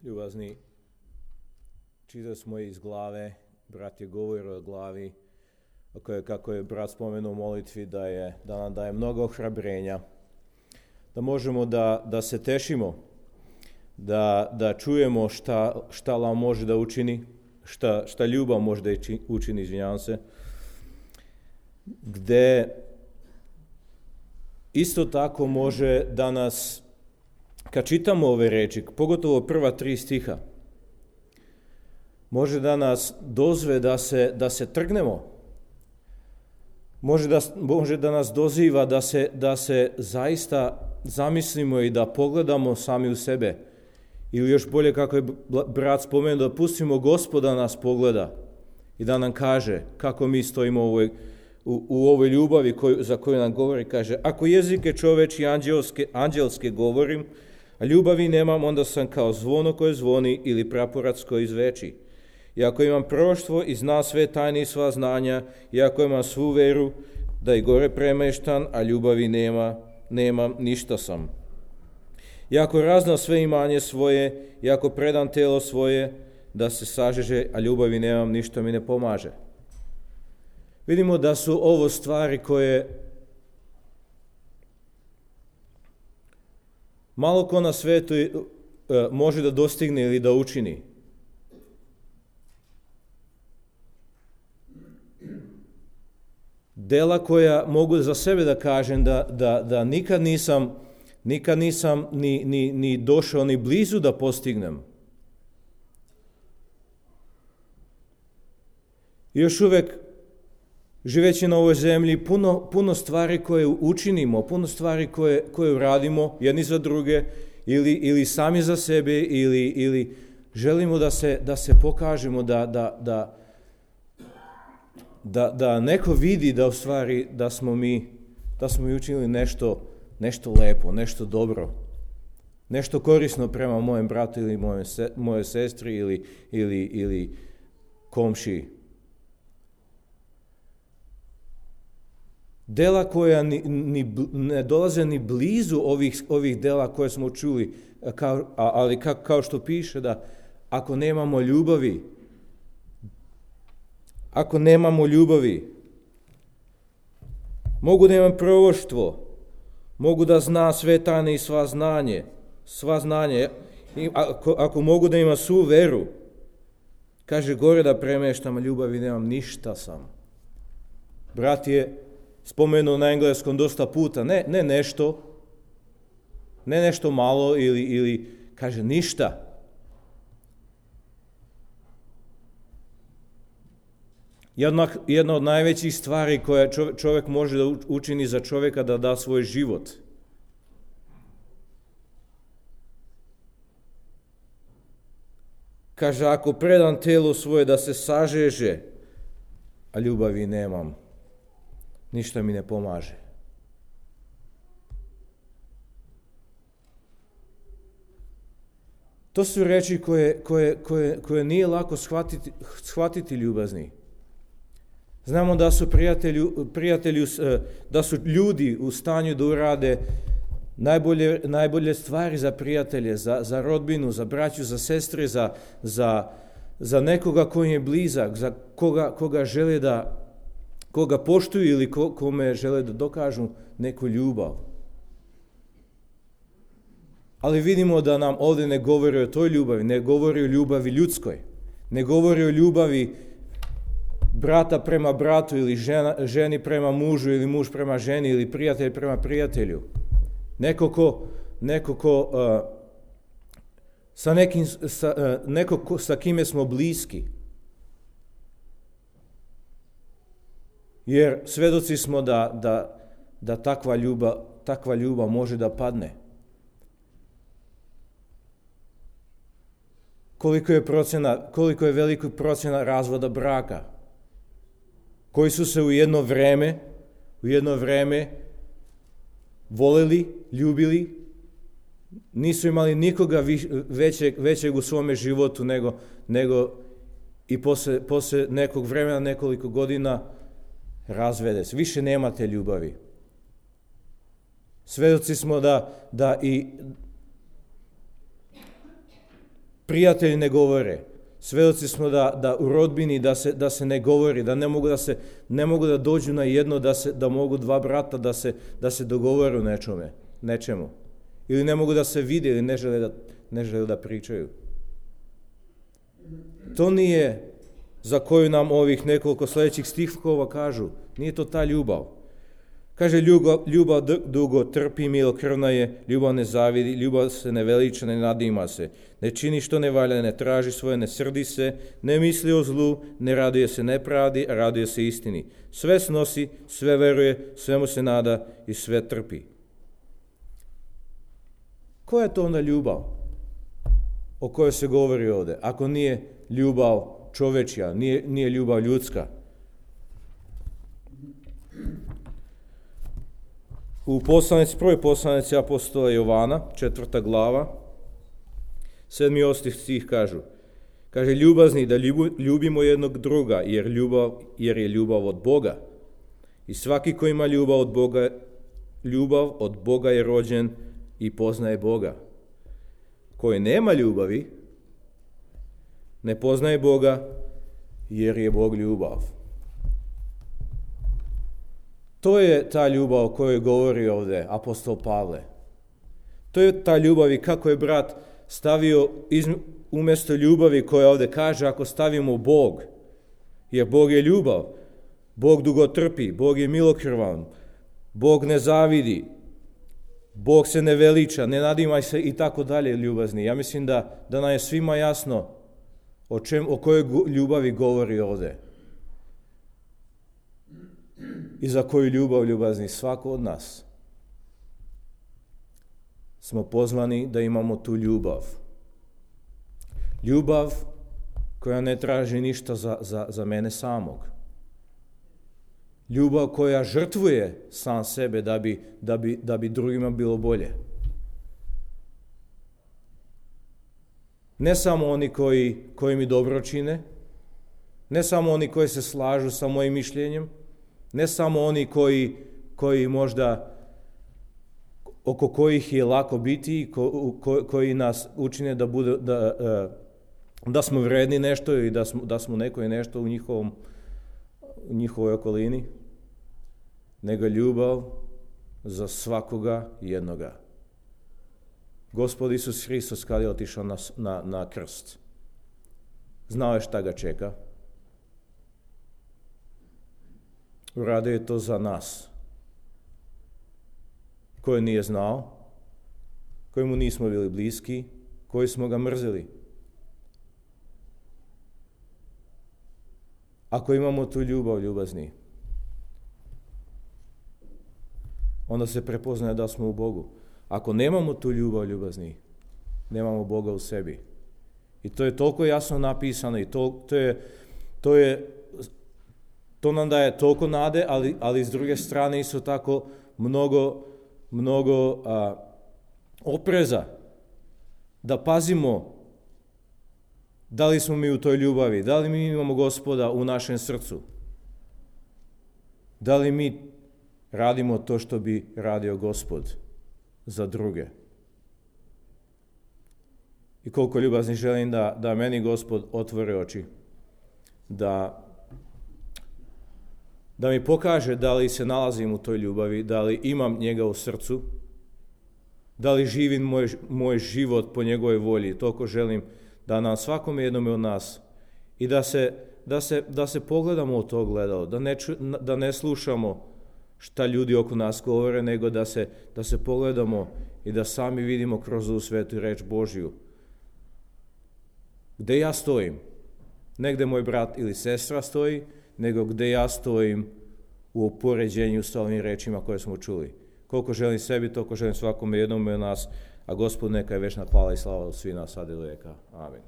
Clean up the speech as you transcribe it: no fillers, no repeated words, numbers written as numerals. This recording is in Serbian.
Ljubazni, čitali smo iz glave, brat je govorio o glavi, kako je brat spomenuo u molitvi da nam daje mnogo ohrabrenja, da možemo da se tešimo, da čujemo šta Allah može da učini, šta ljubav može da učini, izvinjavam se, gde isto tako može da nas, kad čitamo ove reči, pogotovo prva 3 stiha, može da nas dozve da se trgnemo, može da nas doziva da se zaista zamislimo i da pogledamo sami u sebe. Ili još bolje, kako je brat spomenuo, da pustimo Gospoda nas pogleda i da nam kaže kako mi stojimo u ovoj ljubavi za koju nam govori. Kaže, ako jezike čoveči anđelske govorim, a ljubavi nemam, onda sam kao zvono koje zvoni ili praporac koji zveči. I ako imam proroštvo i zna sve tajne i sva znanja, i ako imam svu veru da i gore premeštan, a ljubavi nemam, ništa sam. I ako raznam sve imanje svoje, i ako predam telo svoje da se sažeže, a ljubavi nemam, ništa mi ne pomaže. Vidimo da su ovo stvari koje malo ko na svetu može da dostigne ili da učini. Dela koja mogu za sebe da kažem da nikad nisam ni došao ni blizu da postignem. Još uvek, živeći na ovoj zemlji, puno stvari koje učinimo, puno stvari koje uradimo jedni za druge ili sami za sebe ili želimo da se pokažemo da neko vidi da u stvari da smo mi učinili nešto lepo, nešto dobro, nešto korisno prema mojem bratu ili mojoj sestri ili komšiji. Dela koja ne dolaze ni blizu ovih dela koje smo čuli, ali kao što piše da ako nemamo ljubavi, mogu da imam proroštvo, mogu da zna sve tajne i sva znanje, ako mogu da imam svu veru, kaže gore da premeštam, a ljubavi nemam, ništa sam. Brat je spomenuo na engleskom dosta puta, ne nešto malo ili kaže ništa. Jedna od najvećih stvari koja čovjek može da učini za čovjeka da da svoj život. Kaže, ako predam telo svoje da se sažeže, a ljubavi nemam, ništa mi ne pomaže. To su reči koje nije lako shvatiti ljubazni. Znamo da su prijatelji, da su ljudi u stanju da urade najbolje stvari za prijatelje, za rodbinu, za braću, za sestre, za nekoga koji je blizak, za koga žele koga poštuju ili kome žele da dokažu neku ljubav. Ali vidimo da nam ovdje ne govori o toj ljubavi, ne govori o ljubavi ljudskoj, ne govori o ljubavi brata prema bratu ili ženi prema mužu ili muž prema ženi ili prijatelj prema prijatelju. Neko sa kime smo bliski. Jer svedoci smo da takva ljubav može da padne. Koliko je velika procena razvoda braka, koji su se u jedno vreme voleli, ljubili, nisu imali nikoga većeg u svome životu nego i posle nekog vremena, nekoliko godina, razvede se. Više nema te ljubavi. Svedoci smo da i prijatelji ne govore. Svedoci smo da u rodbini da se ne govori, da ne mogu da dođu na jedno, da mogu dva brata da se dogovore u nečemu. Ili ne mogu da se vide ili ne žele da pričaju. To nije za koju nam ovih nekoliko sljedećih stihova kažu. Nije to ta ljubav. Kaže, ljubav dugo trpi, milokrvna je, ljubav ne zavidi, ljubav se ne veliča, ne nadima se, ne čini što ne valja, ne traži svoje, ne srdi se, ne misli o zlu, ne raduje se nepravdi, a raduje se istini. Sve snosi, sve veruje, svemu se nada i sve trpi. Koja je to onda ljubav o kojoj se govori ovdje? Ako nije ljubav čovečja, nije ljubav ljudska.U prvoj poslanici apostola Jovana, 4. glava, 7. i 8. stih kaže, ljubazni da ljubimo jednog druga, jer je ljubav od Boga. I svaki ko ima ljubav od Boga je rođen i poznaje Boga. Koji nema ljubavi, ne poznaje Boga, jer je Bog ljubav. To je ta ljubav o kojoj govori ovdje apostol Pavle. To je ta ljubav i kako je brat stavio umjesto ljubavi koja ovdje kaže ako stavimo Bog, jer Bog je ljubav, Bog dugo trpi, Bog je milokrvan, Bog ne zavidi, Bog se ne veliča, ne nadimaj se i tako dalje ljubazni. Ja mislim da nam je svima jasno o kojoj ljubavi govori ovdje. I za koju ljubazni svako od nas smo pozvani da imamo tu ljubav. Ljubav koja ne traži ništa za mene samog. Ljubav koja žrtvuje sam sebe da bi drugima bilo bolje. Ne samo oni koji mi dobro čine, ne samo oni koji se slažu sa mojim mišljenjem, ne samo oni koji možda oko kojih je lako biti, koji nas učine da smo vredni nešto i da smo neko i nešto u njihovoj okolini, nego ljubav za svakoga jednoga. Gospod Isus Hristos kad je otišao na krst, znao je šta ga čeka. Uradio je to za nas, koji nije znao, kojemu nismo bili bliski, koji smo ga mrzili. Ako imamo tu ljubazni, onda se prepoznaje da smo u Bogu. Ako nemamo tu ljubazni, nemamo Boga u sebi. I to je toliko jasno napisano i to nam daje toliko nade, ali s druge strane isto tako mnogo opreza da pazimo da li smo mi u toj ljubavi, da li mi imamo Gospoda u našem srcu, da li mi radimo to što bi radio Gospod za druge. I koliko ljubazni želim da meni Gospod otvori oči, da mi pokaže da li se nalazim u toj ljubavi, da li imam njega u srcu, da li živim moj život po njegovoj volji. Toliko želim da nam svakome jednome od nas i da se pogledamo u to gledalo, da ne slušamo šta ljudi oko nas govore, nego da se pogledamo i da sami vidimo kroz ovu svetu reč Božju. Gde ja stojim? Ne gde moj brat ili sestra stoji, nego gde ja stojim u upoređenju s ovim rečima koje smo čuli. Koliko želim sebi, toliko želim svakome jednome od nas, a Gospod neka je večna hvala i slava u svih nas sad i do vijeka. Amen.